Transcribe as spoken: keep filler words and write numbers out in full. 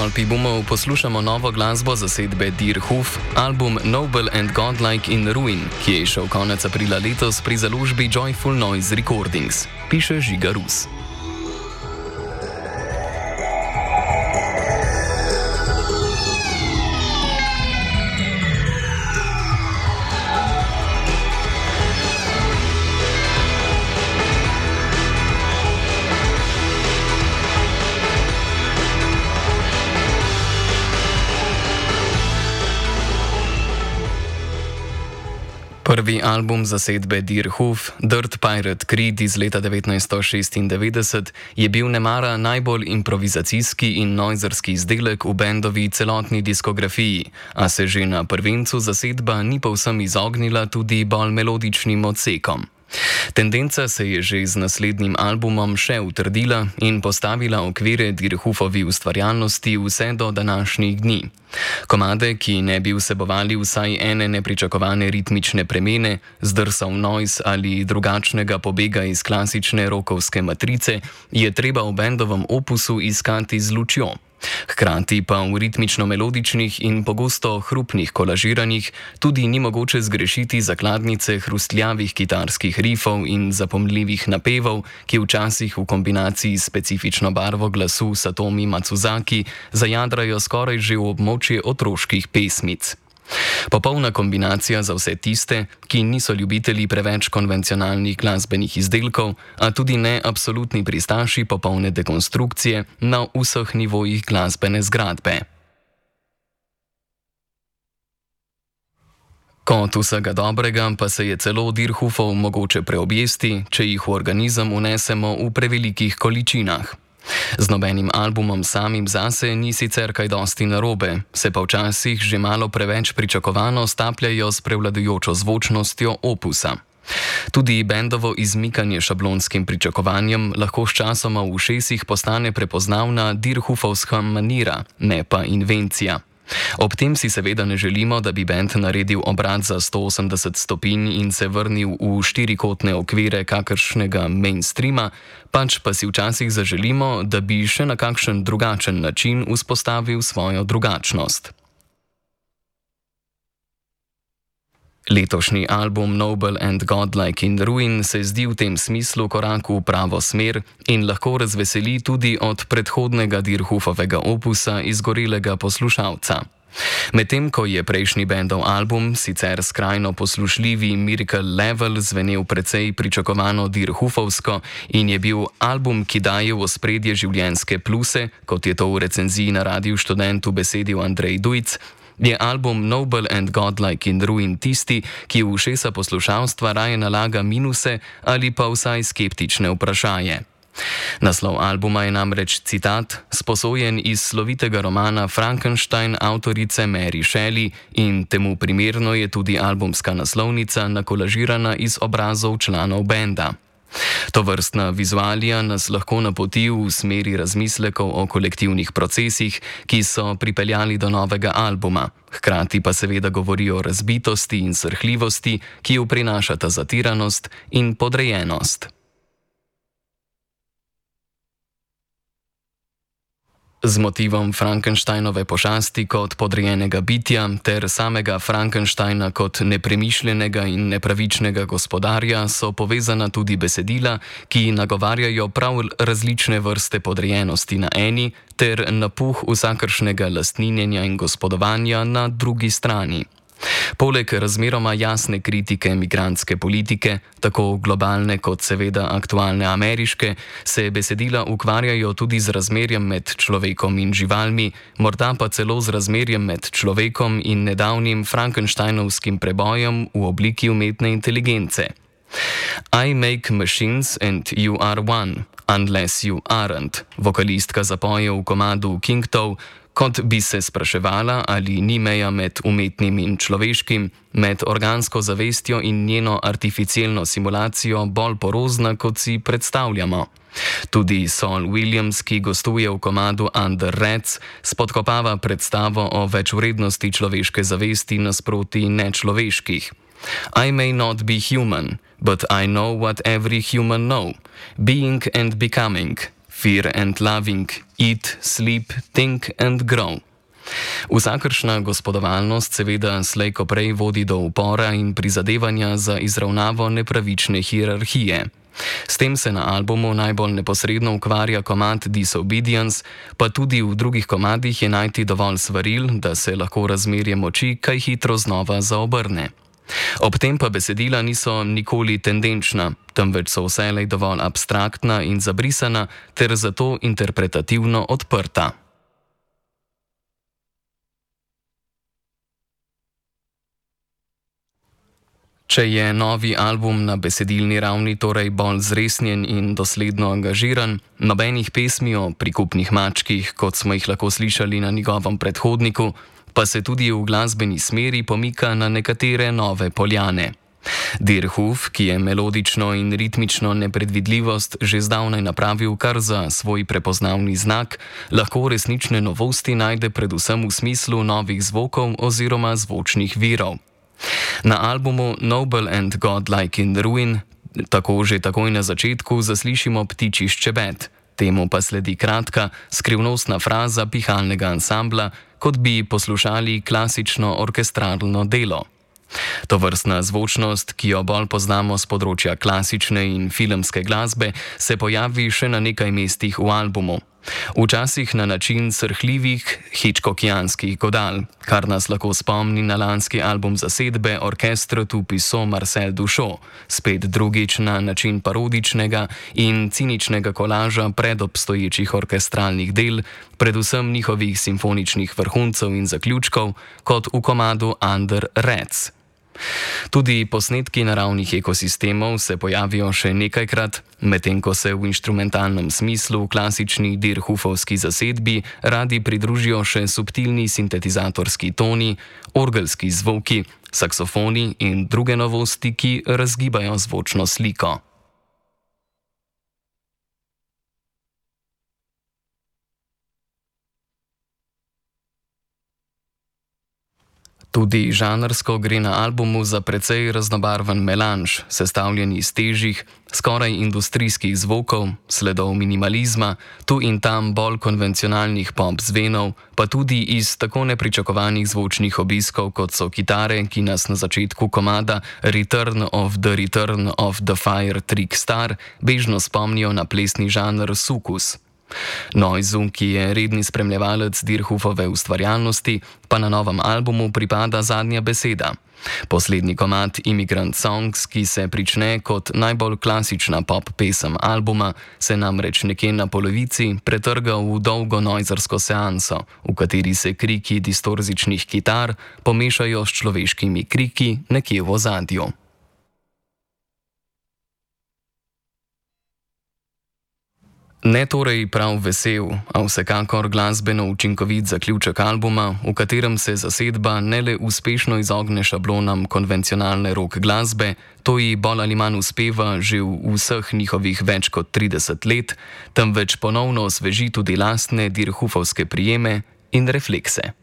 Stolpi bomo poslušamo novo glasbo zasedbe Dear Hoof, album Noble and Godlike in Ruin, ki je šel konec aprila letos pri založbi Joyful Noise Recordings, piše Žiga Rus. Prvi album zasedbe Dear Hoof, Dirt Pirate Creed iz leta devetnajststo šestindevetdeset, je bil nemara najbolj improvizacijski in noizerski izdelek v bendovi celotni diskografiji, a se že na prvencu zasedba ni povsem izognila tudi bolj melodičnim odsekom. Tendenca se je že z naslednjim albumom še utrdila in postavila okvire Dear Hoofovi ustvarjalnosti vse do današnjih dni. Komade, ki ne bi vsebovali vsaj ene nepričakovane ritmične premene, zdrsov noise ali drugačnega pobega iz klasične rokovske matrice, je treba v bendovem opusu iskati z lučjo. Hkrati pa v ritmično-melodičnih in pogosto hrupnih kolažiranjih tudi ni mogoče zgrešiti zakladnice hrustljavih kitarskih rifov in zapomljivih napevov, ki včasih v kombinaciji s specifično barvo glasu Satomi Matsuzaki zajadrajo skoraj že v območje otroških pesmic. Popolna kombinacija za vse tiste, ki niso ljubitelji preveč konvencionalnih glasbenih izdelkov, a tudi ne absolutni pristaši popolne dekonstrukcije na vseh nivojih glasbene zgradbe. Kot vsega dobrega pa se je celo Dear Hoofov mogoče preobjesti, če jih v organizem unesemo v prevelikih količinah. Z nobenim albumom samim zase ni sicer kaj dosti narobe, se pa včasih že malo preveč pričakovano stapljajo s prevladujočo zvočnostjo opusa. Tudi bendovo izmikanje šablonskim pričakovanjem lahko sčasoma v ušesih postane prepoznavna Dear Hoofovska manira, ne pa invencija. Ob tem si seveda ne želimo, da bi bend naredil obrat za sto osemdeset stopinj in se vrnil v štirikotne okvire kakršnega mainstreama, pač pa si včasih zaželimo, da bi še na kakšen drugačen način vzpostavil svojo drugačnost. Letošnji album Noble and Godlike in Ruin se zdi v tem smislu korak v pravo smer in lahko razveseli tudi od predhodnega Dear Hoofovega opusa izgorelega poslušalca. Medtem ko je prejšnji bendov album, sicer skrajno poslušljivi Miracle Level, zvenel precej pričakovano Dear Hoofovsko in je bil album, ki daje v ospredje življenjske pluse, kot je to v recenziji na Radiu Študent besedil Andrej Dujc, je album Noble and Godlike in Ruin tisti, ki v ušesa poslušalstva raje nalaga minuse ali pa vsaj skeptične vprašaje. Naslov albuma je namreč citat, sposojen iz slovitega romana Frankenstein avtorice Mary Shelley in temu primerno je tudi albumska naslovnica nakolažirana iz obrazov članov benda. Tovrstna vizualija nas lahko napoti v smeri razmislekov o kolektivnih procesih, ki so pripeljali do novega albuma, hkrati pa seveda govori o razbitosti in srhljivosti, ki jo prinašata zatiranost in podrejenost. Z motivom Frankensteinove pošasti kot podrejenega bitja ter samega Frankensteina kot nepremišljenega in nepravičnega gospodarja so povezana tudi besedila, ki nagovarjajo prav različne vrste podrejenosti na eni ter napuh vsakršnega lastninjenja in gospodovanja na drugi strani. Poleg razmeroma jasne kritike migrantske politike, tako globalne kot seveda aktualne ameriške, se besedila ukvarjajo tudi z razmerjem med človekom in živalmi, morda pa celo z razmerjem med človekom in nedavnim Frankensteinovskim prebojem v obliki umetne inteligence. I make machines and you are one, unless you aren't, vokalistka zapoje v komadu Kingtov, kot bi se spraševala, ali ni meja med umetnim in človeškim, med organsko zavestjo in njeno artificialno simulacijo bolj porozna, kot si predstavljamo. Tudi Saul Williams, ki gostuje v komadu Under Rats, spodkopava predstavo o večvrednosti človeške zavesti nasproti nečloveških. I may not be human, but I know what every human know. Being and becoming. Fear and Loving, Eat, Sleep, Think and Grow. Vsakršna gospodovalnost seveda slej ko prej vodi do upora in prizadevanja za izravnavo nepravične hierarhije. S tem se na albumu najbolj neposredno ukvarja komad Disobedience, pa tudi v drugih komadih je najti dovolj svaril, da se lahko razmerje moči kaj hitro znova zaobrne. Ob tem pa besedila niso nikoli tendenčna, temveč so vselej dovolj abstraktna in zabrisana ter zato interpretativno odprta. Če je novi album na besedilni ravni torej bolj zresnjen in dosledno angažiran, nobenih pesmi o prikupnih mačkih, kot smo jih lahko slišali na njegovem predhodniku, pa se tudi v glasbeni smeri pomika na nekatere nove poljane. Deerhoof, ki je melodično in ritmično nepredvidljivost že zdavnaj napravil kar za svoj prepoznavni znak, lahko resnične novosti najde predvsem v smislu novih zvokov oziroma zvočnih virov. Na albumu Noble and Godlike in Ruin tako že takoj na začetku zaslišimo ptičji ščebet, temu pa sledi kratka, skrivnostna fraza pihalnega ansambla, kot bi poslušali klasično orkestralno delo. Tovrstna zvočnost, ki jo bolj poznamo z področja klasične in filmske glasbe, se pojavi še na nekaj mestih v albumu. Včasih na način srhljivih hitchcockijanskih godal, kar nas lahko spomni na lanski album zasedbe Orchestre tout puissant Marcel Duchamp, spet drugič na način parodičnega in ciničnega kolaža predobstoječih orkestralnih del, predvsem njihovih simfoničnih vrhuncev in zaključkov, kot v komadu Under Rats. Tudi posnetki naravnih ekosistemov se pojavijo še nekajkrat, medtem ko se v inštrumentalnem smislu v klasični Deerhoofovski zasedbi radi pridružijo še subtilni sintetizatorski toni, orgelski zvoki, saksofoni in druge novosti, ki razgibajo zvočno sliko. Tudi žanrsko gre na albumu za precej raznobarven melanž, sestavljen iz težjih, skoraj industrijskih zvokov, sledov minimalizma, tu in tam bolj konvencionalnih pop zvenov, pa tudi iz tako nepričakovanih zvočnih obiskov, kot so kitare, ki nas na začetku komada Return of the Return of the Fire Trick Star bežno spomnijo na plesni žanr sukus. Noizu, ki je redni spremljevalec Deerhoofove ustvarjalnosti, pa na novem albumu pripada zadnja beseda. Poslednji komad Immigrant Songs, ki se prične kot najbolj klasična pop pesem albuma, se namreč nekje na polovici pretrga v dolgo noizersko seanso, v kateri se kriki distorzičnih kitar pomešajo s človeškimi kriki nekje v ozadju. Ne torej prav vesel, a vsekakor glasbeno učinkovit zaključek albuma, v katerem se zasedba ne le uspešno izogne šablonam konvencionalne rock glasbe, to ji bolj ali manj uspeva že v vseh njihovih več kot trideset let, temveč ponovno osveži tudi lastne Deerhoofovske prijeme in reflekse.